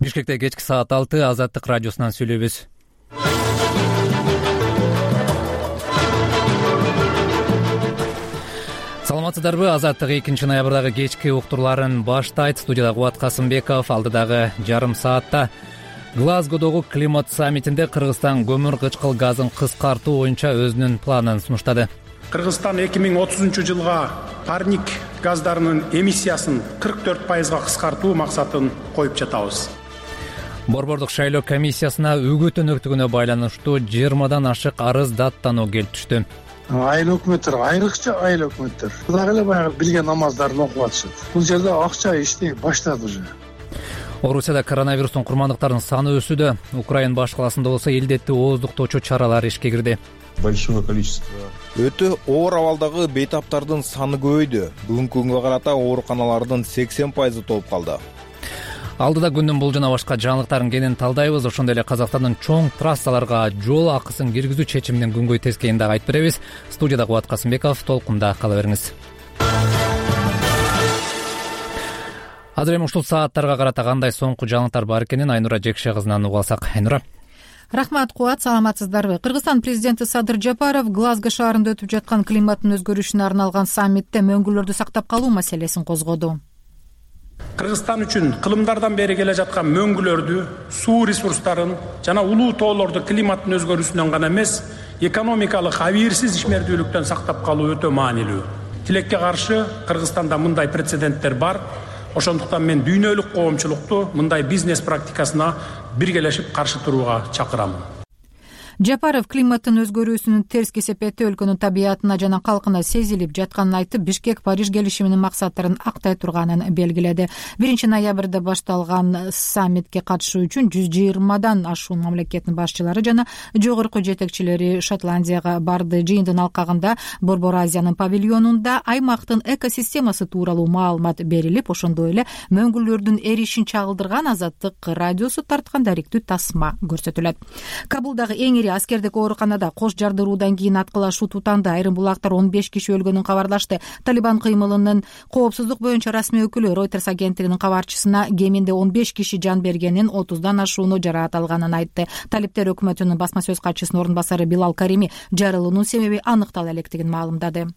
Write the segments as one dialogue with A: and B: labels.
A: Бишкекте кечки саат 6 Азаттык радиосунан сүйлөйбүз. Саламатсыздарбы? Азаттык 2 ноябрдагы кечки уктурларын баштайт. Студияда Кубат Касымбеков. Алдыдагы жарым саатта Глазгодогу климат саммитинде Кыргызстан көмүр кычкыл газын кыскартуу боюнча өзүнүн планын сунуштады.
B: Кыргызстан 2030-жылга парник газдарынын эмиссиясын 44%га кыскартуу максатын коюп жатабыз.
C: Борбордук шайлоо комиссиясына үгүт өнөктүгүнө байланыштуу 20дан ашык арыз даттануу келип түштү.
D: Айыл өкмөттөр, айрыкча айыл өкмөттөр дагы эле баягы билген намаздарын окуп атышат. Бул жерде акча иштей баштады уже.
A: Орусияда коронавирустун курмандыктарынын саны өсүүдө. Украина баш каласында болсо илдетти ооздуктоочу чаралар ишке кирди.
E: Большое количество. Өтө оор абалдагы бейтаптардын саны көбөйдү. Бүгүнкү күнгө карата ооруканалардын 80% толуп калды.
A: Алдыда күндүн бул жана башка жаңылыктарын кенен талдайбыз. Ошондой эле Казакстандын чоң трассаларга жол акысын киргизүү чечиминин күнгөй тескейин дагы айтып беребиз. Студияда Кубат Касымбеков, толкунда кала бериңиз. Азыр эми ушул сааттарга карата кандай соңку жаңылыктар бар экенин Айнура Жекше кызынан угуп алсак. Айнура.
F: Рахмат, Кубат, саламатсыздарбы? Кыргызстан президенти Садыр Жапаров Глазго шаарында өтүп жаткан климаттын өзгөрүшүнө арналган саммитте мөңгүлөрдү сактап калуу маселесин козгоду.
B: Кыргызстан үчүн кылымдардан бери келе жаткан мөңгүлөрдү, суу ресурстарын жана улуу тоолорду климаттын өзгөрүүсүнөн гана эмес, экономикалык абийирсиз ишмердүүлүктөн сактап калуу өтө маанилүү. Тилекке каршы Кыргызстанда мындай прецеденттер бар. Ошондуктан мен дүйнөлүк коомчулукту мындай бизнес практикасына биргелешип каршы турууга чакырам.
F: Жапаров климаттын өзгөрүүсүнүн терс кесепети өлкөнүн табиятына жана калкына сезилип жатканын айтып, Бишкек Париж келишиминин максаттарын актай турганын белгиледи. 1 ноябрда башталган саммитке катышуу үчүн 120дан ашуун мамлекеттин башчылары жана жогорку жетекчилери Шотландияга барды. Жыйындын алкагында Борбор Азиянын павильонунда аймактын экосистемасы тууралуу маалымат берилип, ошондой эле мөңгүлөрдүн эришин чагылдырган Азаттык радиосу тарткан даректүү тасма көрсөтүлөт. Кабулдагы эң аскердик ооруканада кош жардыруудан кийин аткылашуу тутанды. Айрым булактар 15 киши өлгөнүн кабарлашты. Талибан кыймылынын коопсуздук боюнча расмий өкүлү Reuters агенттигинин кабарчысына кеминде 15 киши жан бергенин, 30дан ашууну жараат алганын айтты. Талиптер өкмөтүнүн басма сөз катчысынын орун басары Билал Карими жарылуунун себеби аныктала электигин маалымдады.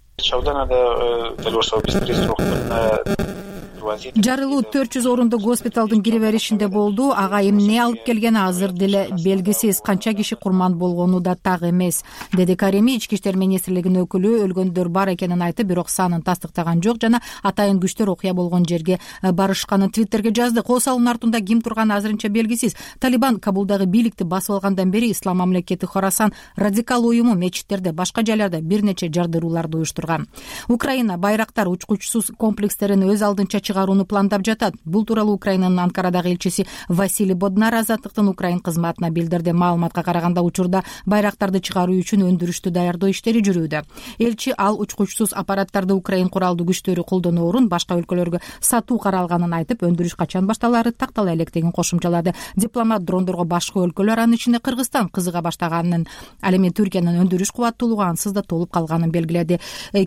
F: Жарылуу 400 орундук госпиталдын кире беришинде болду. Ага эмне алып келгени азыр деле белгисиз. Канча киши курман болгону да так эмес, деди Карими. Ички иштер министрлигинин өкүлү өлгөндөр бар экенин айтып, бирок санын тастыктаган жок жана атайын күчтөр окуя болгон жерге барышканын Твиттерге жазды. Кол салуунун артында ким турганы азырынча белгисиз. Талибан Кабулдагы бийликти басып алгандан бери Ислам мамлекети Хорасан радикал уюму мечиттерде, башка жайларда бир нече жардырууларды уюштурган. Украина байрактар учкучсуз комплекстерин өз алдынча чыгарууну пландап жатат. Бул тууралуу Украинанын Анкарадагы элчиси Василий Боднар Азаттыктын Украин кызматына билдирди. Маалыматка караганда учурда байрактарды чыгаруу үчүн өндүрүштү даярдоо иштери жүрүүдө. Элчи ал учкучсуз аппараттарды Украин куралдуу күчтөрү колдонуу орун башка өлкөлөргө сатуу каралганын айтып, өндүрүш качан башталары тактала электигин кошумчалады. Дипломат дрондорго башка өлкөлөр, анын ичинде Кыргызстан кызыга баштаганын, ал эми Түркиянын өндүрүш кубаттуулугу ансыз да толуп калганын белгиледи.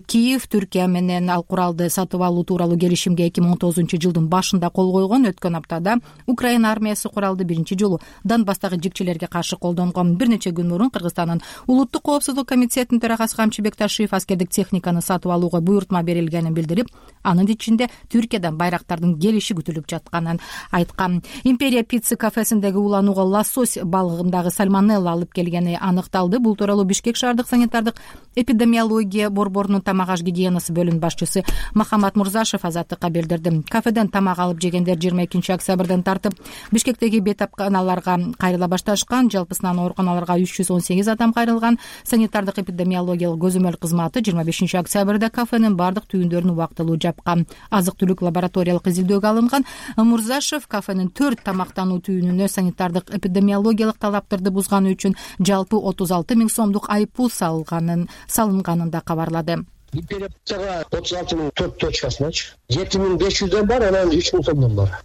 F: Киев Түркия менен ал куралды сатып алуу тууралуу келишимге 2019-жылдын башында кол койгон. Өткөн аптада Украина армиясы куралды биринчи жолу Донбасстагы жикчилерге каршы колдонгон. Бир нече күн мурун Кыргызстандын улуттук коопсуздук комитетинин төрагасы Камчы Бекташиев аскердик техниканы сатып алууга буйртма берилгенин билдирип, анын ичинде Түркиядан байрактардын келиши күтүлүп жатканын айткан. Империя пицца кафесиндеги уланууга лосось балыгындагы сальмонелла алып келгени аныкталды. Бул тууралуу Бишкек шаардык санитардык эпидемиология борборунун тамак аш гигиенасы бөлүм башчысы Махамат Мурзашев Азаттыкка билдирди. Кафеден тамак алып жегендер 22 октябрдан тартып Бишкектеги бейтапканаларга кайрыла башташкан. Жалпысынан ооруканаларга 318 адам кайрылган. Санитардык эпидемиологиялык көзөмөл кызматы 25 октябрда кафенин бардык түйүндөрүн убактылуу жапкан. Азык-түлүк лабораториялык изилдөөгө алынган. Мурзашев кафенин 4 тамактануу түйүнүнө санитардык эпидемиологиялык талаптарды бузганы үчүн жалпы 36 000 сомдук айыппул салынганын да кабарлады.
G: Империя пиццага 36 000 4 точкасыначы 7500дөн бар, анан 3000 сомдон бар.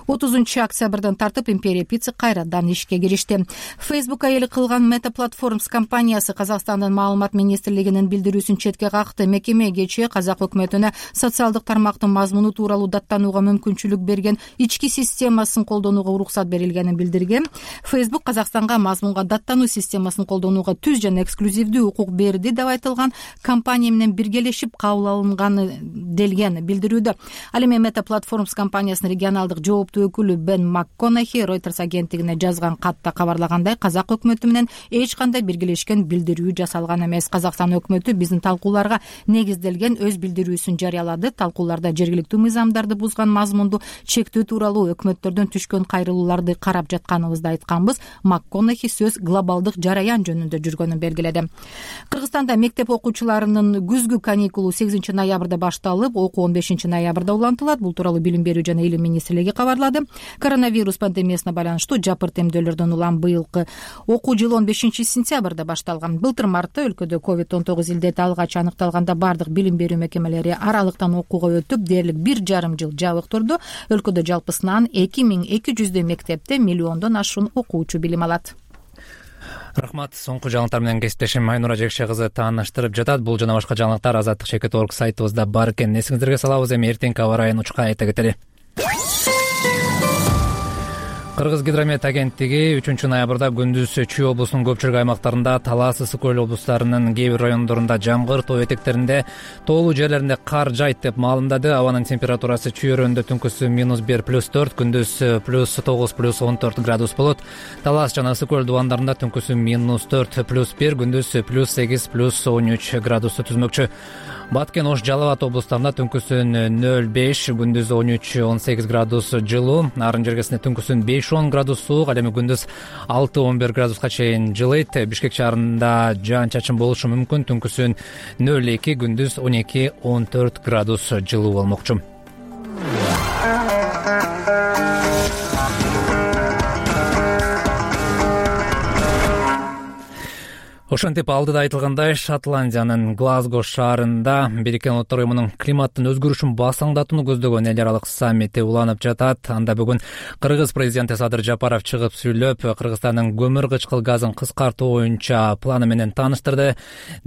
F: 30 октябрдан тартып Империя Pizza кайрадан ишке киришти. Facebook айыл кылган Meta Platforms компаниясы Казакстандын маалымат министрлигинин билдирүүсүн четке какты. Мекеме кечээ Казак өкмөтүнө социалдык тармактын мазмуну тууралуу даттанууга мүмкүнчүлүк берген ички системасын колдонууга уруксат берилгенин билдирген. Facebook Казакстанга мазмунга даттануу системасын колдонууга түз жана эксклюзивдүү укук берди деп айтылган компания менен биргелешип кабыл алынганы делген билдирүүдө. Ал эми Meta Platforms компаниясынын регионалдык жооптуу өкүлү Бен МакКонахи Reuters агенттигине жазган катта кабарлагандай, Казак өкмөтү менен эч кандай биргелешкен билдирүү жасалган эмес. Казакстан өкмөтү биздин талкууларга негизделген өз билдирүүсүн жарыялады. Талкууларда жергиликтүү мыйзамдарды бузган мазмунду чектөө тууралуу өкмөттөрдөн түшкөн кайрылууларды карап жатканыбызды айтканбыз. МакКонахи сөз глобалдык жараян жөнүндө жүргөнүн белгиледи. Кыргызстанда мектеп окуучуларынын күзгү каникулу 8 ноябрда башталып, окуу 15 ноябрда улантылат. Бул тууралуу Билим берүү жана илим министрлиги кабарлады. Коронавирус пандемиясына байланыштуу жапырт эмдөөлөрдөн улам быйылкы окуу жылы 15 сентябрда башталган. Былтыр мартта өлкөдө COVID-19 илдети алгач аныкталганда бардык билим берүү мекемелери аралыктан окууга өтүп, дээрлик 1,5 жыл жабык турду. Өлкөдө жалпысынан 2200 мектепте миллиондон ашуун окуучу билим алат.
C: Рахмат. Соңку жаңылыктар менен кесиптешим Айнура Жекше кызы тааныштырып жатат. Бул жана башка жаңылыктар azatdик.org сайтыбызда бар экен. Эсиңиздерге салабыз. Эми эртеңки аба ырайын учка айта кетели. Кыргыз гидромет агенттиги 3 ноябрда күндүз Чүй облусунун көпчүлүк аймактарында, Талас, Ысык көл облустарынын кээ бир райондорунда жамгыр, тоо этектеринде, тоолуу жерлеринде кар жайт деп маалымдады. Абанын температурасы Чүй өрөөнүндө түнкүсү -1 +4, күндүз +9 +14 градус болот. Талас жана Ысык көл дубандарында түнкүсү -4 +1, күндүз +8 +13 градусту түзмөкчү. Баткен, Ош, Жалал Абад облустарында түнкүсүн 0,5, күндүз 13-18 градус жылуу. Нарын жергесинде түнкүсүн 5-10 градус суук, ал эми күндүз 6-11 градуска чейин жылыйт. Бишкек шаарында жаан-чачын болушу мүмкүн. Түнкүсүн 0,2, күндүз 12-14 градус жылуу болмокчу. Ошентип алдыда айтылгандай, Шотландиянын Глазго шаарында Бириккен Улуттар уюмунун климаттын өзгөрүшүн басаңдатууну көздөгөн эл аралык саммити уланып жатат. Анда бүгүн Кыргыз президенти Садыр Жапаров чыгып сүйлөп, Кыргызстандын көмүр кычкыл газын кыскартуу боюнча планы менен тааныштырды.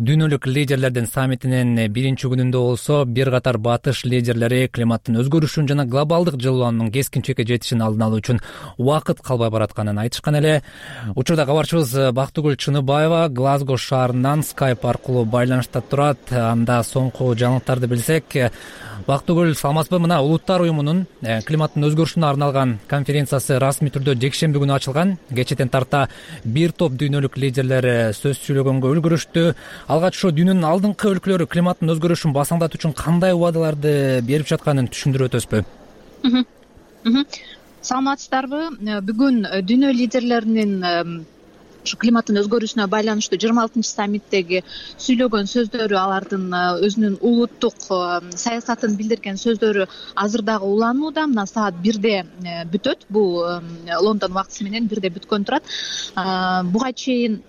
C: Дүйнөлүк лидерлердин саммитинин биринчи күнүндө болсо, бир катар батыш лидерлери климаттын өзгөрүшүн жана глобалдык жылуулануунун кескин чекке жетишин алдын алуу үчүн убакыт калбай баратканын айтышкан эле. Учурда кабарчыбыз Бактыгүл Чыныбаева Глазго шаарынан Skype аркылуу байланышта турат. Анда соңку жаңылыктарды билсек, Бактыгүл, саламатсызбы? Мына Улуттар уюмунун климаттын өзгөрүшүнө арналган конференциясы расмий түрдө жекшемби күнү ачылган. Кечеден тарта бир топ дүйнөлүк лидерлер сөз сүйлөгөнгө үлгүрүштү. Алгач ошо дүйнөнүн алдыңкы өлкөлөрү климаттын өзгөрүшүн басаңдатуу үчүн кандай убадаларды берип жатканын түшүндүрүп өтөсүзбү?
G: Саламатсыздарбы? Бүгүн дүйнө лидерлеринин климаттын өзгөрүүсүнө байланыштуу 26 саммиттеги сүйлөгөн сөздөрү, алардын өзүнүн улуттук саясатын билдирген сөздөрү азыр дагы уланууда. Мына саат 1-де бүтөт. Бул Лондон убактысы менен 1-де бүткөн турат. Буга чейин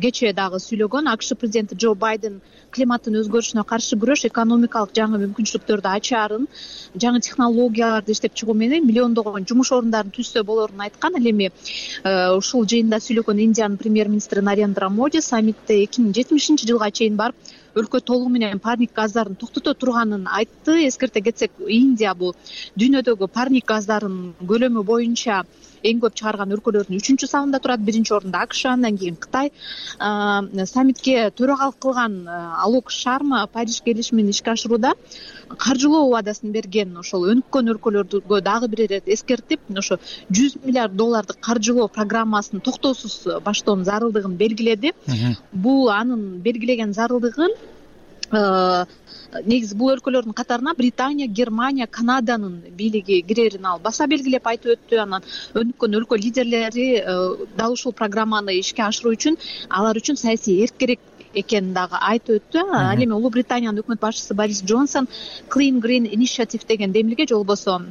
G: кечээ дагы сүйлөгөн АКШ президенти Джо Байден климаттын өзгөрүшүнө каршы күрөш экономикалык жаңы мүмкүнчүлүктөрдү ачаарын, жаңы технологияларды иштеп чыгуу менен миллиондогон жумуш орундарын түзсө болорун айткан. Ал эми ушул жыйында сүйлөгөн Индиянын премьер-министри Нарендра Моди саммитте 2070-жылга чейин барып, өлкө толугу менен парник газдарын токтото турганын айтты. Эскерте кетсек, Индия бул дүйнөдөгү парник газдарын көлөмү боюнча эң көп чыгарган өлкөлөрдүн 3-сабында турат. Биринчи орунда АКШ, андан кийин Кытай. Саммитке төрагалык кылган Алок Шарма Париж келишимин ишке ашырууда каржылоо убадасын берген. Ошол өнүккөн өлкөлөргө дагы бир ирет эскертип, ошо $100 миллиард каржылоо программасын токтоосуз баштоонун зарылдыгын белгиледи. Бул анын белгилеген зарылдыгын негизи бул өлкөлөрдүн катарына Британия, Германия, Канаданын бийлиги кирерин ал баса белгилеп айтып өттү. Анан өнүккөн өлкө лидерлери дал ушул программаны ишке ашыруу үчүн алар үчүн саясий эрк керек экенин дагы айтып өттү. Ал эми Улуу Британиянын өкмөт башчысы Борис Джонсон Clean Green Initiative деген демилге, же болбосо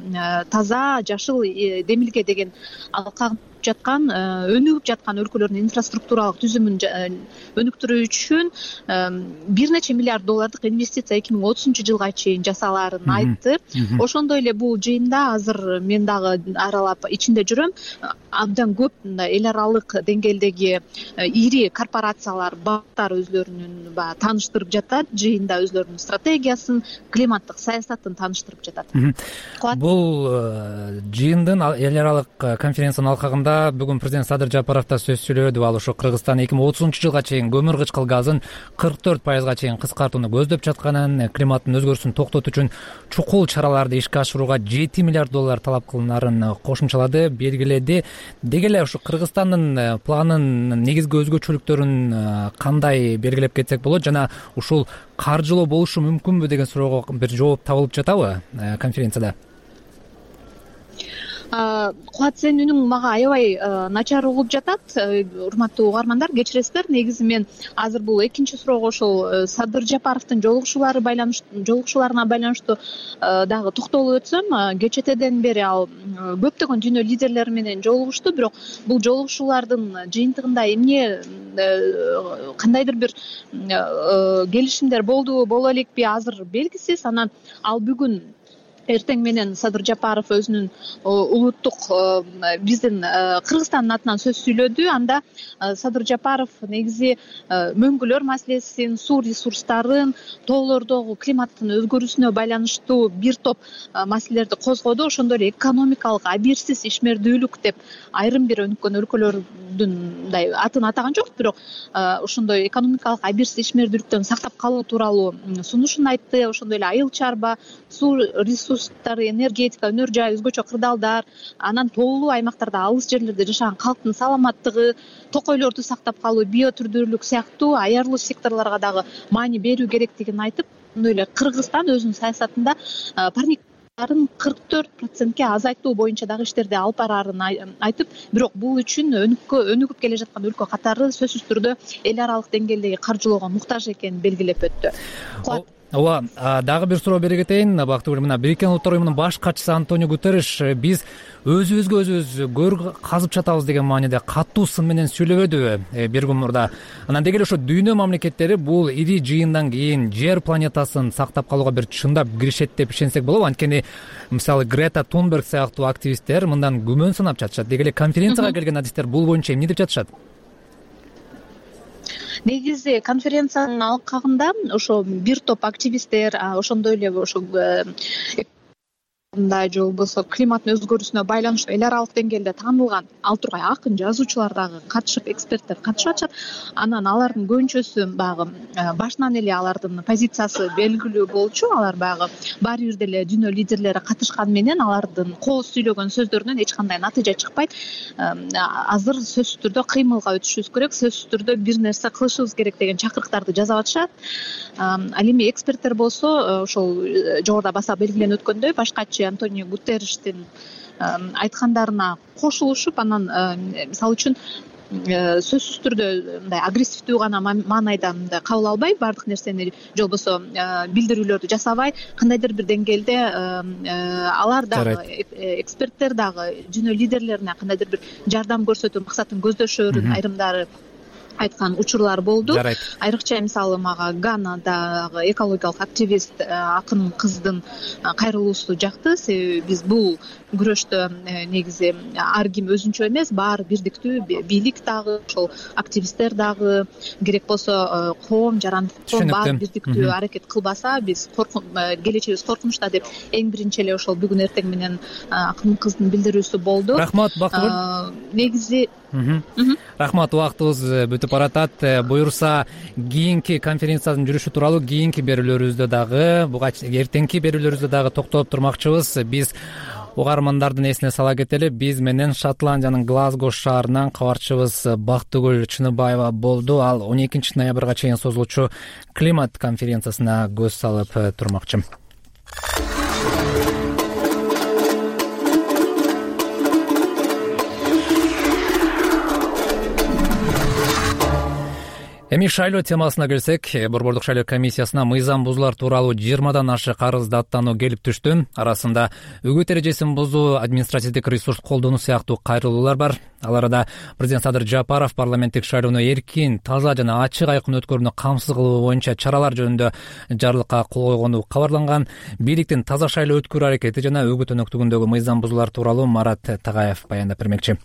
G: таза жашыл демилге деген алкагын жаткан өнүгүп жаткан өлкөлөрдүн инфраструктуралык түзүмүн өнүктүрүү үчүн бир нече миллиард доллардык инвестиция 2030-жылга чейин жасалаарын айтты. Ошондой эле бул жыйында азыр мен дагы аралап ичинде жүрөм, абдан көп эл аралык деңгээлдеги ири корпорациялар, банктар өзлөрүнүн баягы тааныштырып жатат, жыйында өзлөрүнүн стратегиясын, климаттык саясатын тааныштырып жатат.
A: Бул жыйындын эл аралык конференциянын алкагында бүгүн президент Садыр Жапаров да сөз сүйлөдү. Ал ошо Кыргызстан 2030-жылга чейин көмүр кычкыл газын 44% чейин кыскартууну көздөп жатканын, климаттын өзгөрүшүн токтотуу үчүн чукул чараларды ишке ашырууга 7 миллиард доллар талап кылынаарын кошумчалады, белгиледи. Деги эле ушу Кыргызстандын планынын негизги өзгөчөлүктөрүн кандай белгилеп кетсек болот жана ушул каржылоо болушу мүмкүнбү деген суроого бир жооп табылып жатабы конференцияда?
G: Кубат, сенин үнүң мага аябай начар угулуп жатат. Урматтуу угармандар, кечиресиздер. Негизи мен азыр бул экинчи суроого ошол Садыр Жапаровдун жолугушууларына байланыштуу дагы токтолуп өтсөм, кечетеден бери ал көптөгөн дүйнө лидерлери менен жолугушту, бирок бул жолугушуулардын жыйынтыгында эмне кандайдыр бир келишимдер болдубу, боло элекпи азыр белгисиз. Анан ал бүгүн эртең менен Садыр Жапаров өзүнүн улуттук биздин Кыргызстандын атынан сөз сүйлөдү. Анда Садыр Жапаров негизи мөңгүлөр маселесин, суу ресурстарын, тоолордогу климаттын өзгөрүүсүнө байланыштуу бир топ маселелерди козгоду. Ошондой эле экономикалык абийирсиз ишмердүүлүк деп айрым бир өнүккөн өлкөлөрдүн мындай атын атаган жок, бирок ошондой экономикалык абийирсиз ишмердүүлүктөн сактап калуу тууралуу сунушун айтты. Ошондой эле айыл чарба, суу ресурстары, энергетика, өнөр жай, өзгөчө кырдаалдар, анан тоолуу аймактарда, алыс жерлерде жашаган калктын саламаттыгы, токойлорду сактап калуу, биотүрдүүлүк сыяктуу аярлуу секторлорго дагы маани берүү керектигин айтып, ошондой эле Кыргызстан өзүнүн саясатында парниктарын 44%ке азайтуу боюнча дагы иштерди алып бараарын айтып, бирок бул үчүн өнүгүп келе жаткан өлкө катары сөзсүз түрдө эл аралык деңгээлдеги каржылоого муктаж экенин белгилеп өттү.
A: Ооба, дагы бир суроо бере кетейин. Бактыгүл, мына Бириккен Улуттар уюмунун баш катчысы Антонио Гутерриш биз өзүбүз гөр казып жатабыз деген мааниде катуу сын менен сүйлөбөдүбү бир күн мурда. Анан деги эле ошо дүйнө мамлекеттери бул ири жыйындан кийин жер планетасын сактап калууга бир чындап киришет деп ишенсек болобу? Анткени мисалы Грета Тунберг сыяктуу активисттер мындан күмөн санап жатышат. Деги эле конференцияга келген адистер бул боюнча эмне деп жатышат?
G: Негизи конференциянын алкагында ошо бир топ активисттер, ошондой эле ошо же болбосо климаттын өзгөрүүсүнө байланыштуу эл аралык деңгээлде таанылган ал тургай акын, жазуучулар дагы катышып, эксперттер катышып атышат. Анан алардын көбүнчөсү баягы башынан эле алардын позициясы белгилүү болчу. Алар баягы баары бир деле дүйнө лидерлери катышкан менен алардын кооз сүйлөгөн сөздөрүнөн эч кандай натыйжа чыкпайт. Азыр сөзсүз түрдө кыймылга өтүшүбүз керек, сөзсүз түрдө бир нерсе кылышыбыз керек деген чакырыктарды жасап атышат. Ал эми эксперттер болсо ошол жогоруда баса белгиленип өткөндөй баш катчы Антонио Гутерриштин айткандарына кошулушуп, анан мисалы үчүн сөзсүз түрдө мындай агрессивдүү гана маанайда мындай кабыл албай, баардык нерсени же болбосо билдирүүлөрдү жасабай, кандайдыр бир деңгээлде алар дагы эксперттер дагы дүйнө лидерлерине кандайдыр бир жардам көрсөтүү максатын көздөшөрүн айрымдары айткан учурлар болду. Айрыкча мисалы мага Ганадагы экологиялык активист акын кыздын кайрылуусу жакты. Себеби биз бул күрөштө негизи ар ким өзүнчө эмес, баары бирдиктүү, бийлик дагы, ошол активисттер дагы, керек болсо коом, жарандык баары бирдиктүү аракет кылбаса, биз келечегибиз коркунучта деп эң биринчи эле ошол бүгүн эртең менен акын кыздын билдирүүсү болду.
A: Рахмат, Бактыгүл.
G: Негизи
A: рахмат, убактыбыз бүтүп баратат. Буюрса кийинки конференциянын жүрүшү тууралуу кийинки берүүлөрүбүздө дагы, буга эртеңки берүүлөрүбүздө дагы токтолуп турмакчыбыз. Биз угармандардын эсине сала кетели, биз менен Шотландиянын Глазго шаарынан кабарчыбыз Бактыгүл Чыныбаева болду. Ал 12 ноябрга чейин созулуучу климат конференциясына көз салып турмакчы. Эми шайлоо темасына келсек, Борбордук шайлоо комиссиясына мыйзам бузуулар тууралуу 20дан ашык арыз даттануу келип түштү. Арасында үгүт эрежесин бузуу, административдик ресурс колдонуу сыяктуу кайрылуулар бар. Ал арада президент Садыр Жапаров парламенттик шайлоону эркин, таза жана ачык айкын өткөрүүнү камсыз кылуу боюнча чаралар жөнүндө жарлыкка кол койгону кабарланган. Бийликтин таза шайлоо өткөрүү аракети жана үгүт өнөктүгүндөгү мыйзам бузуулар тууралуу Марат Тагаев баяндап бермекчи.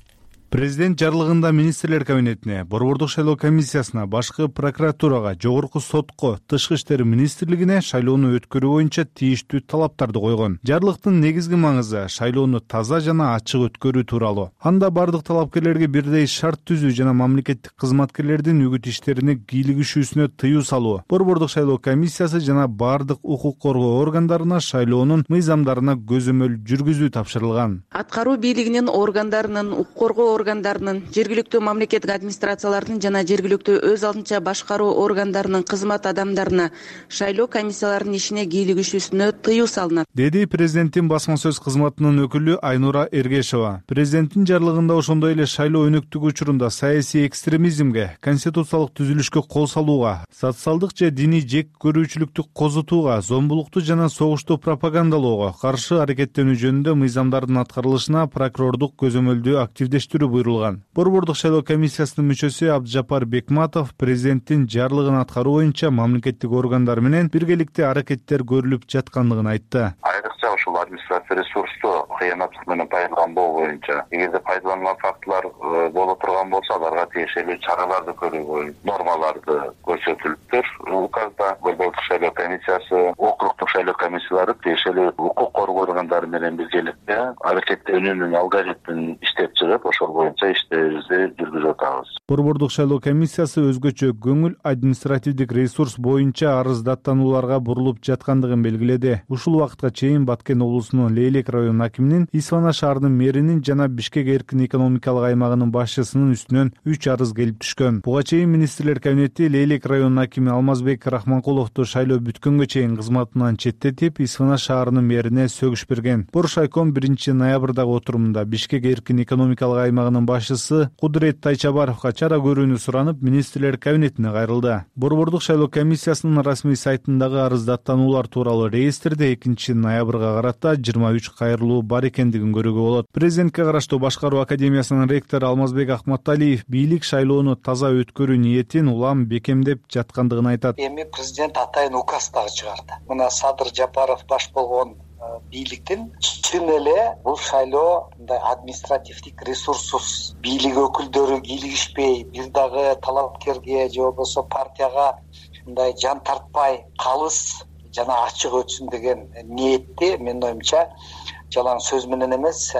H: Президент жарлыгында министрлер кабинетине, Борбордук шайлоо комиссиясына, башкы прокуратурага, жогорку сотко, тышкы иштер министрлигине шайлоону өткөрүү боюнча тийиштүү талаптарды койгон. Жарлыктын негизги маңызы шайлоону таза жана ачык өткөрүү тууралуу. Анда бардык талапкерлерге бирдей шарт түзүү жана мамлекеттик кызматкерлердин үгүт иштерине кийлигишүүсүнө тыюу салуу. Борбордук шайлоо комиссиясы жана бардык укук коргоо органдарына шайлоонун мыйзамдарына көзөмөл жүргүзүү тапшырылган.
I: Аткаруу бийлигинин органдарынын, укук коргоо органдарынын, жергиликтүү мамлекеттик администрациялардын жана жергиликтүү өз алдынча башкаруу органдарынын кызмат адамдарына шайлоо комиссияларынын ишине кийлигишүүсүнө тыюу салынат, деди президенттин басма сөз кызматынын өкүлү Айнура Эргешова. Президенттин жарлыгында ошондой эле шайлоо өнөктүгү учурунда саясий экстремизмге, конституциялык түзүлүшкө кол салууга, социалдык же диний жек көрүүчүлүктү козутууга, зомбулукту жана согушту пропагандалоого каршы аракеттенүү жөнүндө мыйзамдардын аткарылышына прокурордук көзөмөлдү активдештирүү буйрулган. Борбордук шайлоо комиссиясынын мүчөсү Абдыжапар Бекматов президенттин жарлыгын аткаруу боюнча мамлекеттик органдар менен биргеликте аракеттер көрүлүп жаткандыгын айтты.
J: Айрыкча ушул административдик ресурсту кыянаттык менен пайдаланбоо боюнча, эгерде пайдаланган фактылар боло турган болсо, аларга тиешелүү чараларды көрүү боюнча нормаларды көрсөтүлүптүр. Указда Борбордук шайлоо комиссиясы, округдук шайлоо комиссиялары тиешелүү укук коргоо органдары менен биргеликте аракеттенүүнүн алгоритмин иштеп чыгып, ошол боюнча иштерибизди жүргүзүп атабыз.
H: Борбордук шайлоо комиссиясы өзгөчө көңүл административдик ресурс боюнча арыз даттанууларга бурулуп жаткандыгын белгиледи. Ушул убакытка чейин Баткен облусунун Лейлек районунун акиминин, Исфана шаарынын мэринин жана Бишкек эркин экономикалык аймагынын башчысынын үстүнөн 3 арыз келип түшкөн. Буга чейин министрлер кабинети Лейлек районунун акими Алмазбек Рахманкуловду шайлоо бүткөнгө чейин кызматынан четтетип, Исфана шаарынын мэрине сөгүш берген. Боршайком 1 ноябрдагы отурумунда Бишкек эркин экономикалык аймагынын башчысы Кудурет Тайчабаровго чара көрүүнү суранып, министрлер кабинетине кайрылды. Борбордук шайлоо комиссиясынын расмий сайтындагы арыз даттануулар тууралуу реестрде 2 ноябрга карата 23 кайрылуу бар экендигин көрүүгө болот. Президентке караштуу Башкаруу академиясынын ректору Алмазбек Ахматалиев бийлик шайлоону таза өткөрүү ниетин улам бекемдеп жаткандыгын айтат.
K: Эми президент атайын указ дагы чыгарды. Мына Садыр Жапаров баш болгон бийликтин чын эле бул шайлоо мындай административдик ресурссуз, бийлик өкүлдөрү кийлигишпей, бир дагы талапкерге же болбосо партияга мындай жан тартпай, калыс жана ачык өтсүн деген ниетти менин оюмча жалаң сөз менен эмес,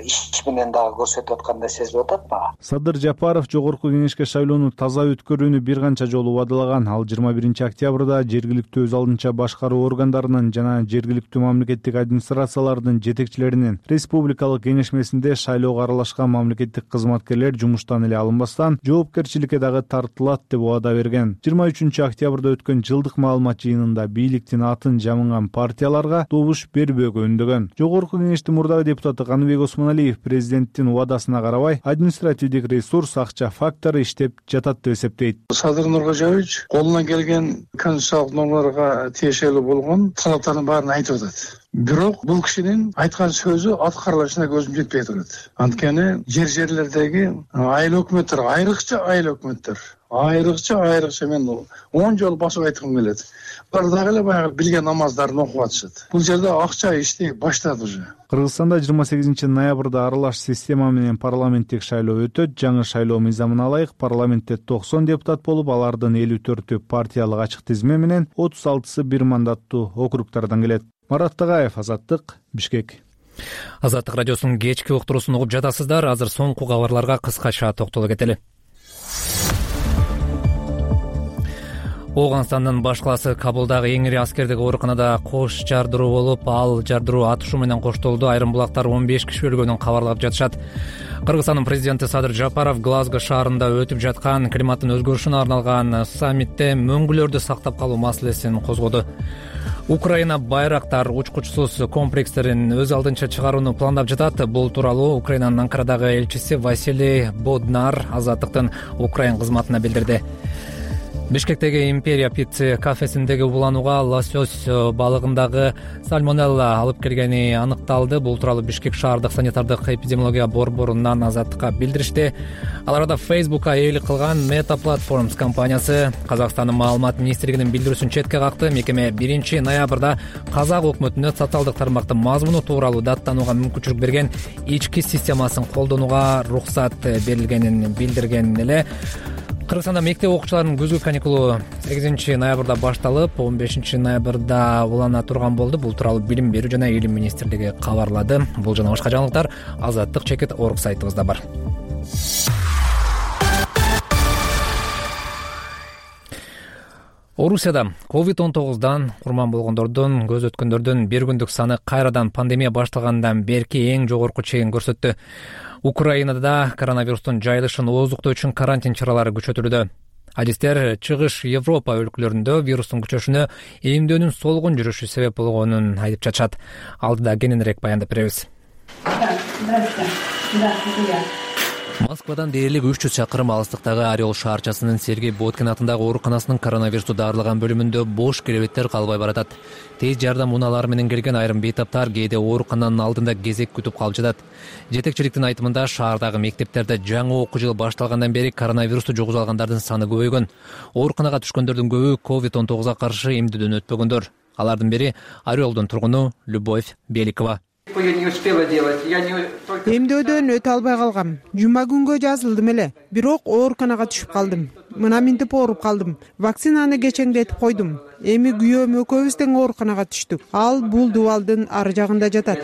K: иш менен дагы көрсөтүп аткандай сезилип атат мага.
H: Садыр Жапаров жогорку кеңешке шайлоону таза өткөрүүнү бир канча жолу убадалаган. Ал 21 октябрда жергиликтүү өз алдынча башкаруу органдарынын жана жергиликтүү мамлекеттик администрациялардын жетекчилеринин республикалык кеңешмесинде шайлоого аралашкан мамлекеттик кызматкерлер жумуштан эле алынбастан жоопкерчиликке дагы тартылат деп убада берген. 23 октябрда өткөн жылдык маалымат жыйынында бийликтин атын жамынган партияларга добуш бербөөгө үндөгөн. Жогорку кеңештин мурдагы депутаты Каныбек Осмоналиев президенттин убадасына карабай административдик ресурс, акча фактору иштеп жатат деп эсептейт.
D: Садыр Нуркожоевич колунан келген конституциялык нормаларга тиешелүү болгон талаптардын баарын айтып атат. Бирок бул кишинин айткан сөзү аткарылышына көзүм жетпей турат. Анткени жерлердеги айыл өкмөттөр, айрыкча мен 10 жолу басып айткым келет. Булар дагы эле баягы билген намаздарын окуп атышат. Бул жерде акча иштей баштады уже.
H: Кыргызстанда 28 ноябрда аралаш система менен парламенттик шайлоо өтөт. Жаңы шайлоо мыйзамына ылайык парламентте 90 депутат болуп, алардын 54-ү партиялык ачык тизме менен 36-сы бир мандаттуу округдардан келет. Марат Тагаев, Азаттык, Бишкек.
A: Азаттык радиосунун кечки уктуруусун угуп жатасыздар. Азыр соңку кабарларга кыскача токтоло кетели. Ооганстандын баш калаасы Кабулдагы эң ири аскердик ооруканада кош жардыруу болуп, ал жардыруу атышуу менен коштолду. Айрым булактар 15 киши өлгөнүн кабарлап жатышат. Кыргызстандын президенти Садыр Жапаров Глазго шаарында өтүп жаткан климаттын өзгөрүшүнө арналган саммитте мөңгүлөрдү сактап калуу маселесин козгоду. Украина байрактар учкучсуз комплекстерин өз алдынча чыгарууну пландап жатат. Бул тууралуу Украинанын Анкарадагы элчиси Василий Боднар Азаттыктын Украин кызматына билдирди. Бишкектеги Империя Пицца кафесиндеги уланууга лосось балыгындагы сальмонелла алып келгени аныкталды. Бул тууралуу Бишкек шаардык санитардык эпидемиология борборунан Азаттыкка билдиришти. Ал арада Facebook'ка ээлик кылган Meta Platforms компаниясы Казакстандын маалымат министрлигинин билдирүүсүн четке какты. Мекеме 1 ноябрда Казак өкмөтүнө социалдык тармактын мазмуну тууралуу даттанууга мүмкүнчүлүк берген ички системасын колдонууга уруксат берилгенин билдирген эле. Кыргызстанда мектеп окуучуларынын күзгү каникулу 8 ноябрда башталып, 15 ноябрда улана турган болду. Бул тууралуу Билим берүү жана Илим министрлиги кабарлады. Бул жана башка жаңылыктар Азаттык чекит орг сайтыбызда бар. Орусияда COVID-19 курман болгондордун, көз өткөндөрдүн бир күндүк саны кайрадан пандемия башталгандан берки эң жогорку чегин көрсөттү. Украинада коронавирустун жайылышын ооздуктоо үчүн карантин чаралары күчөтүлүүдө. Адистер чыгыш Европа өлкөлөрүндө вирустун күчөшүнө эмдөөнүн солгун жүрүшү себеп болгонун айтып жатышат. Алдыда кененирээк баяндап беребиз. Москвадан дээрлик 300 чакырым алыстыктагы Орел шаарчасынын Сергей Боткин атындагы ооруканасынын коронавирусту дарылаган бөлүмүндө бош керебеттер калбай баратат. Тез жардам унаалары менен келген айрым бейтаптар кээде оорукананын алдында кезек күтүп калып жатат. Жетекчиликтин айтымында шаардагы мектептерде жаңы окуу жылы башталгандан бери коронавирусту жугузуп алгандардын саны көбөйгөн. Ооруканага түшкөндөрдүн көбү COVID-19 каршы эмдөөдөн өтпөгөндөр. Алардын бири Орелдун тургуну Любовь Беликова.
L: Эмдөөдөн өтө албай калгам. Жума күнгө жазылдым эле, бирок ооруканага түшүп калдым. Мына минтип ооруп калдым. Вакцинаны кечеңдетип койдум. Эми күйөөм экөөбүз тең ооруканага түштүк. Ал бул дубалдын ары жагында жатат,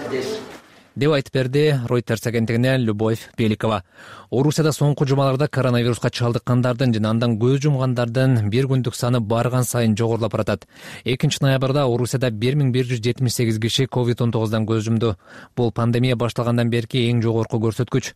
A: деп айтып берди Reuters агенттигине Любовь Беликова. Орусияда соңку жумаларда коронавируска чалдыккандардын жана андан көз жумгандардын бир күндүк саны барган сайын жогорулап баратат. 2 ноябрда Орусияда 1178 киши COVID-19 көз жумду. Бул пандемия башталгандан берки эң жогорку көрсөткүч.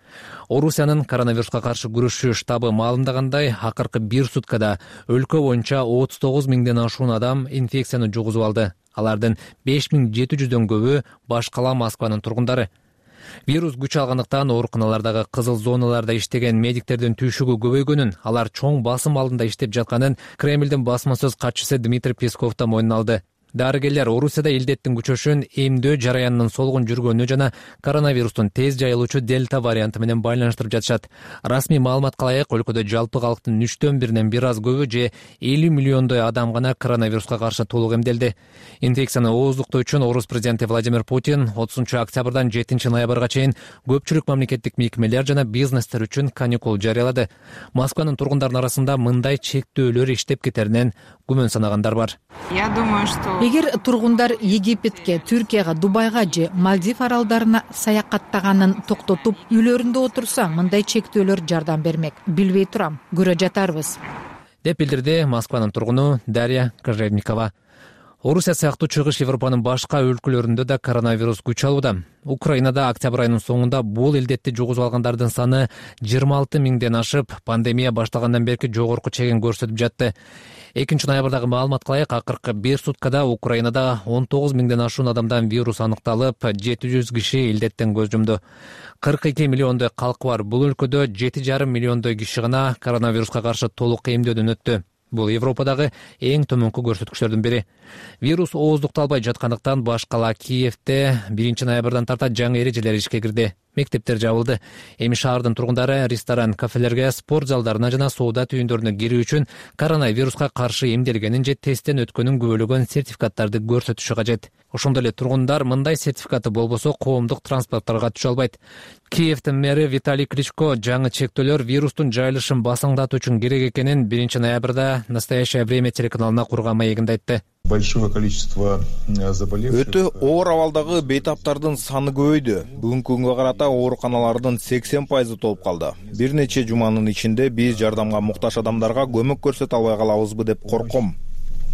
A: Орусиянын коронавируска каршы күрөшүү штабы маалымдагандай, акыркы бир суткада өлкө боюнча 39 миңден ашуун адам инфекцияны жугузуп алды. Алардын 5700дөн көбү баш кала Москванын тургундары. Вирус күч алгандыктан ооруканалардагы кызыл зоналарда иштеген медиктердин түйшүгү көбөйгөнүн, алар чоң басым алдында иштеп жатканын Кремлдин басма сөз катчысы Дмитрий Песков да мойнуна алды. Дарыгерлер Орусияда илдеттин күчөшүн эмдөө жараянынын солгун жүргөнү жана коронавирустун тез жайылуучу дельта варианты менен байланыштырып жатышат. Расмий маалыматка ылайык, өлкөдө жалпы калктын 3/1 бир аз көбү же 50 миллиондой адам гана коронавируска каршы толук эмделди. Инфекцияны ооздуктоо үчүн Орус президенти Владимир Путин 30 октябрдан 7 ноябрга чейин көпчүлүк мамлекеттик мекемелер жана бизнестер үчүн каникул жарыялады. Москванын тургундарынын арасында мындай чектөөлөр иштеп кетеринен күмөн санагандар бар.
L: Я думаю, что
F: Эгер тургундар Египетке, Түркияга, Дубайга же Мальдив аралдарына саякаттаганын токтотуп, үйлөрүндө отурса, мындай чектөөлөр жардам бермек. Билбей турам, көрө жатарбыз,
A: деп билдирди Москванын тургуну Дарья Кожевникова. Орусия сыяктуу чыгыш Европанын башка өлкөлөрүндө да коронавирус күч алууда. Украинада октябрь айынын соңунда бул илдетти жугузуп алгандардын саны 26 миңден ашып, пандемия башталгандан берки жогорку чегин көрсөтүп жатты. 2 ноябрдагы маалыматка ылайык, акыркы бир суткада Украинада 19 миңден ашуун адамдан вирус аныкталып, 700 киши илдеттен көз жумду. 42 миллиондой калкы бар бул өлкөдө 7,5 миллиондой киши гана коронавируска каршы толук эмдөөдөн өттү. Бул Европадагы эң төмөнкү көрсөткүчтөрдүн бири. Вирус ооздукталбай жаткандыктан баш кала Киевде 1 ноябрдан тарта жаңы эрежелер ишке кирди. Мектептер жабылды. Эми шаардын тургундары ресторан, кафелерге, спорт залдарына жана соода түйүндөрүнө кирүү үчүн коронавируска каршы эмделгенин же тесттен өткөнүн күбөлөгөн сертификаттарды көрсөтүшү кажет. Ошондой эле тургундар мындай сертификаты болбосо коомдук транспортторго түшө албайт. Киевдин мэри Виталий Кличко жаңы чектөөлөр вирустун жайылышын басаңдатуу үчүн керек экенин 1 ноябрда «Настоящее время» телеканалына курган маегинде айтты.
M: Большое количество заболевших.
E: Өтө оор абалдагы бейтаптардын саны көбөйдү. Бүгүнкү күнгө карата ооруканалардын 80% толуп калды. Бир нече жуманын ичинде биз жардамга муктаж адамдарга көмөк көрсөтө албай калабызбы деп корком.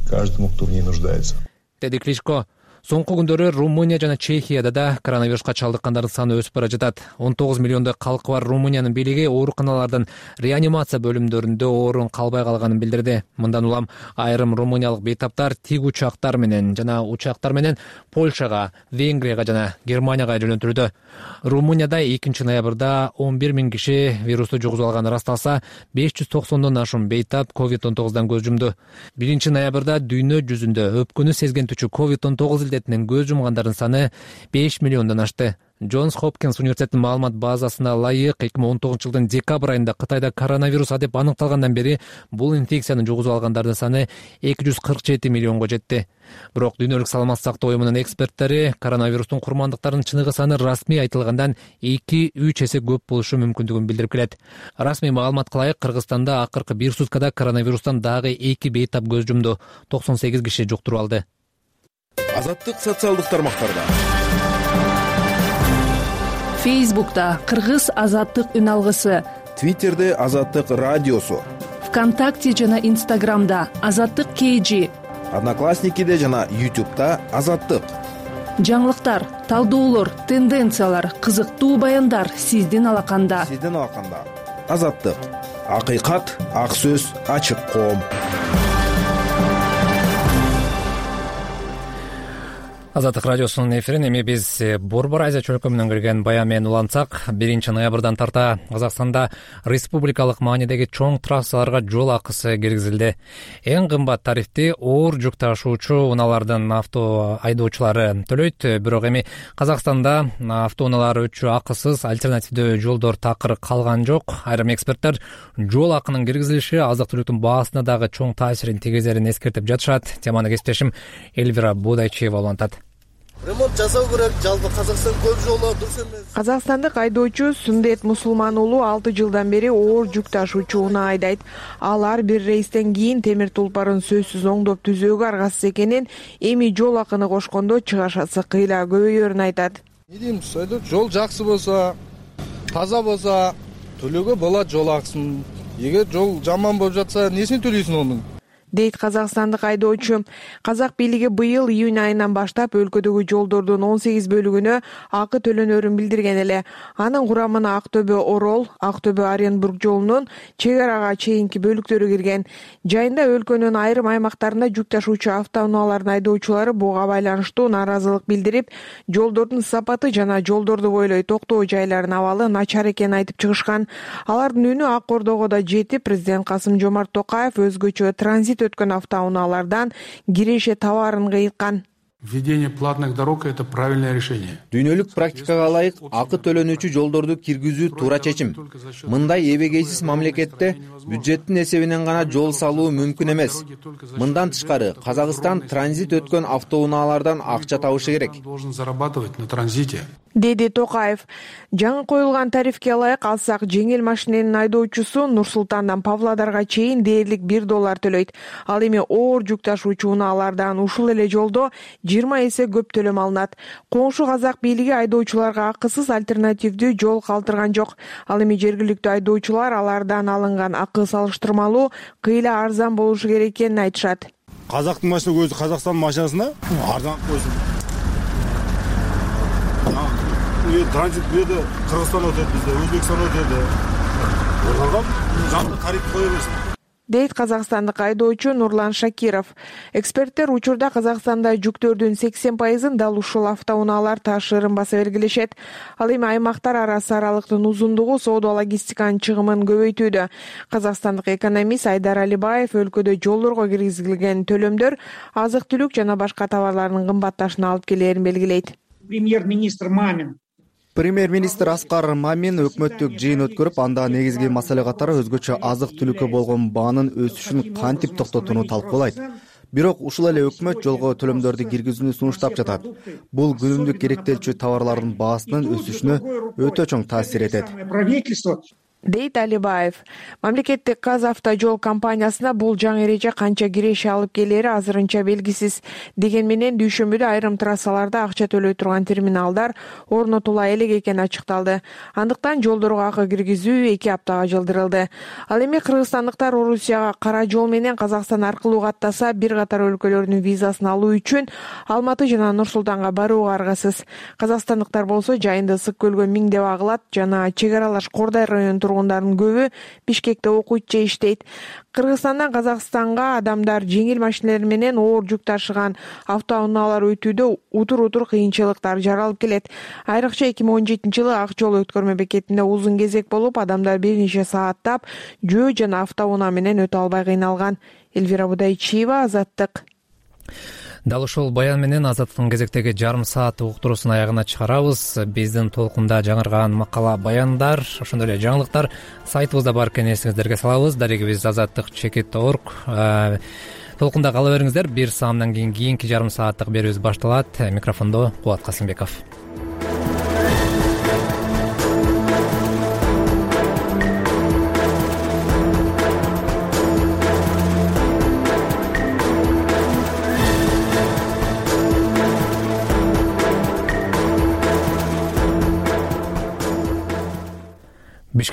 M: Каждому, кто в ней нуждается.
A: Деди Кличко. Соңку күндөрү Румыния жана Чехияда да коронавируска чалдыккандардын саны өсүп бара жатат. 19 миллиондой калкы бар Румыниянын бийлиги ооруканалардын реанимация бөлүмдөрүндө орун калбай калганын билдирди. Мындан улам айрым румыниялык бейтаптар тик учактар менен Польшага, Венгрияга жана Германияга жөнөтүлдү. Румынияда 2 ноябрда 11 000 киши вирусту жугузуп алганы ырасталса, 590дон ашуун бейтап COVID-19 көз жумду. 1 ноябрда дүйнө жүзүндө өпкөнү сезгентүүчү COVID-19 илдетинен көз жумгандардын саны 5 миллиондон ашты. Джонс Хопкинс университетинин маалымат базасына ылайык 2019 жылдын декабрь айында Кытайда коронавирус деп аныкталгандан бери бул инфекцияны жугузуп алгандардын саны 247 миллионго жетти. Бирок дүйнөлүк саламаттык сактоо уюмунун эксперттери коронавирустун курмандыктарынын чыныгы саны расмий айтылгандан 2-3 эсе көп болушу мүмкүндүгүн билдирип келет. Расмий маалыматка ылайык Кыргызстанда акыркы 1 суткада коронавирустан дагы 2 бейтап көз жумду. 98 киши жуктуруп алды.
N: Азаттык социалдык тармактарда.
O: Фейсбукта Кыргыз азаттык үн алгысы,
N: Твиттерде азаттык радиосу,
O: ВКонтакте жана Инстаграмда азаттык KG,
N: Одноклассникиде жана YouTube'да азаттык.
O: Жаңылыктар, талдоолор, тенденциялар, кызыктуу баяндар сиздин алаканда.
N: Азаттык. Акыйкат, ак сөз, ачык коом.
A: Азаттык радиосунун эфирин эми биз Борбор Азия чөлкөмүнөн келген баян менен улантсак, 1 ноябрдан тарта Казакстанда республикалык маанидеги чоң трассаларга жол акысы киргизилди. Эң кымбат тарифти оор жүк ташуучу унаалардын авто айдоочулары төлөйт. Бирок эми Казакстанда автоунаалар өчү акысыз альтернативдүү жолдор такыр калган жок. Айрым эксперттер жол акынын киргизилиши азык-түлүктүн баасына дагы чоң таасирин тийгизерин эскертип жатышат. Теманы кесиптешим Эльвира Будайчиева улантат.
P: Ремонт жасоо керек, жалпы Казакстан көп жолу дурус эмес.
L: Казакстандык айдоочу Сундет Мусулман уулу 6 жылдан бери оор жүк ташуучу унаа айдайт. Ал ар бир рейстен кийин темир тулпарын сөзсүз оңдоп түзөөгө аргасыз экенин, эми жол акыны кошкондо чыгашасы кыйла көбөйөрүн айтат.
P: Не деймиз, жол жакшы болсо, таза болсо, төлөөгө болот жол акысын. Эгер жол жаман болуп жатса, несин төлөйсүң онун?
L: Дейт казакстандык айдоочу. Казак бийлиги быйыл июнь айынан баштап өлкөдөгү жолдордун 18 бөлүгүнө акы төлөнөрүн билдирген эле. Анын курамына Актөбө Орол, Актөбө Оренбург жолунун чек арага чейинки бөлүктөрү кирген. Жайында өлкөнүн айрым аймактарында жүк ташуучу автоунаалардын айдоочулары буга байланыштуу нааразылык билдирип, жолдордун сапаты жана жолдорду бойлой токтоо жайлардын абалы начар экенин айтып чыгышкан. Алардын үнү Ак Ордого да жетип, президент Касым-Жомарт Токаев өзгөчө транзит өткөн автоунаалардан киреше товарын кыйткан.
B: Введение платных дорог — это правильное решение.
E: Дүйнөлүк практикага ылайык акы төлөнүүчү жолдорду киргизүү туура чечим. Мындай эбегейсиз мамлекетте бюджеттин эсебинен гана жол салуу мүмкүн эмес. Мындан тышкары Казакстан транзит өткөн автоунаалардан акча табышы керек.
B: Должен зарабатывать на транзите.
L: Деди Токаев. Жаңы коюлган тарифке ылайык алсак, жеңил машиненин айдоочусу Нур-Султандан Павлодарга чейин дээрлик $1 төлөйт. Ал эми оор жүк ташуучу унаалардан ушул эле жолдо 20 эсе көп төлөм алынат. Коңшу Казак бийлиги айдоочуларга акысыз альтернативдүү жол калтырган жок. Ал эми жергиликтүү айдоочулар алардан алынган акы салыштырмалуу кыйла арзан болушу керек экенин айтышат.
Q: Казактын машинасы өзү Казакстан машинасына арзан койсун. Транзит бүйөдө Кыргызстан өтөт, бизде Өзбекстан өтөт. Ошондо жаңы тариф кое берсин.
L: Дейт казакстандык айдоочу Нурлан Шакиров. Эксперттер учурда Казакстанда жүктөрдүн 80% дал ушул автоунаалар ташырын баса белгилешет. Ал эми аймактар арасы аралыктын узундугу соода логистиканын чыгымын көбөйтүүдө. Казакстандык экономист Айдар Алибаев өлкөдө жолдорго киргизилген төлөмдөр азык-түлүк жана башка товарлардын кымбатташына алып келээрин белгилейт.
R: Премьер-министр Аскар Мамин өкмөттүк жыйын өткөрүп, анда негизги маселе катары өзгөчө азык-түлүккө болгон баанын өсүшүн кантип токтотууну талкуулайт. Бирок ушул эле өкмөт жолго төлөмдөрдү киргизүүнү сунуштап жатат. Бул күнүмдүк керектелчү товарлардын баасынын өсүшүнө өтө чоң таасир этет.
L: Дейт Алибаев. Мамлекеттик Казавтожол компаниясына бул жаңы эреже канча киреше алып келери азырынча белгисиз. Деген менен дүйшөмбүдө айрым трассаларда акча төлөй турган терминалдар орнотула элек экени ачыкталды. Андыктан жолдорго акы киргизүү 2 аптага жылдырылды. Ал эми кыргызстандыктар Орусияга кара жол менен Казакстан аркылуу каттаса, бир катар өлкөлөрдүн визасын алуу үчүн Алматы жана Нур-Султанга барууга аргасыз. Казакстандыктар болсо жайында ысык көлгө миңдеп агылат жана чек аралаш Кордай районунун
S: тургундарынын көбү Бишкекте окуйт же иштейт. Кыргызстандан Казакстанга адамдар жеңил машиналар менен оор жүк ташыган автоунаалар өтүүдө утур кыйынчылыктар жаралып келет. Айрыкча 2017-жылы Ак жол өткөрмө бекетинде узун кезек болуп, адамдар бир нече сааттап жөө жана автоунаа менен өтө албай кыйналган. Элвира Будайчиева, Азаттык.
A: Дал ушул баян менен Азаттыктын кезектеги жарым саат уктуруусун аягына чыгарабыз. Биздин толкунда жаңырган макала, баяндар, ошондой эле жаңылыктар сайтыбызда бар экенин эсиңиздерге салабыз. Дарегибиз azattik.org. Толкунда кала бериңиздер. Бир саамдан кийин кийинки жарым сааттык берүүбүз башталат. Микрофондо Кубат Касымбеков.